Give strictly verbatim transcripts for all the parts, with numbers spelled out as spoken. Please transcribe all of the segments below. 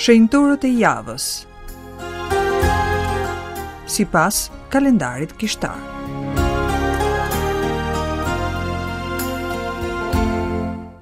Shenjtorët e javës sipas kalendarit kishtar.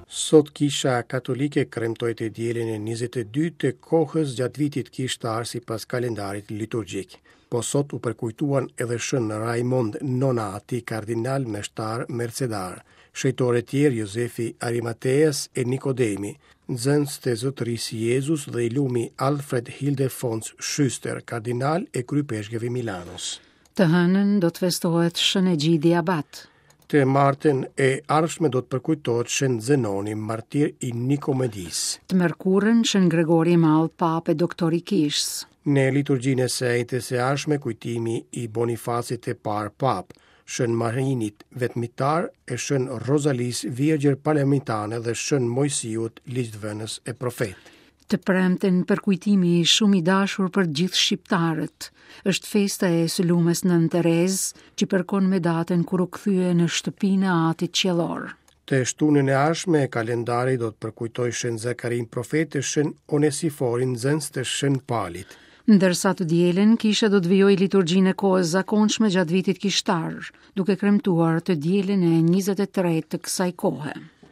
Sot Kisha Katolike kremtoi të dielën e njëzet e dy të kohës gjatë vitit kishtar sipas kalendarit liturgjik. Po sot u përkujtuan edhe Shën Raimond Nonati, kardinal meshtar mercedar, shenjtorë tjerë Jozefi Arimateas e Nikodemi, nxënës të Zotërisë Jezus dhe i lumi Alfred Hildefons Schuster, kardinal e kryepeshkëv i Milanos. Të hënën do të festohet Shën Egjidi Abat. Të martën e ardhshme do të përkujtohet Shën Zenoni, martir i Nikomedisë. Të mërkurën Shën Gregori i Madh, papë e doktor i Kishës. Në liturgjinë e së enjtes së ardhshme kujtimi i Bonifacit të parë papë, Shën Marinit vetmitar e Shën Rozalis Virgjër Palermitane dhe Shën Mojsiut ligjdhënës e profet. Të premten përkujtimi shumë i dashur për gjithë shqiptarët. Është festa e së lumës Nën Terezë, që përkon me datën kur u kthye në shtëpinë e Atit Qiellor. Të shtunën e ardhshme kalendari do të përkujtojë Shën Zakarin profet e Shën Onesiforin nxënës të Shën Palit. Ndërsa të dielën, kisha do të vijojë liturgjinë e kohës zakonshme gjatë vitit kishtar, duke kremtuar të dielën e njëzet e tretë të kësaj kohe.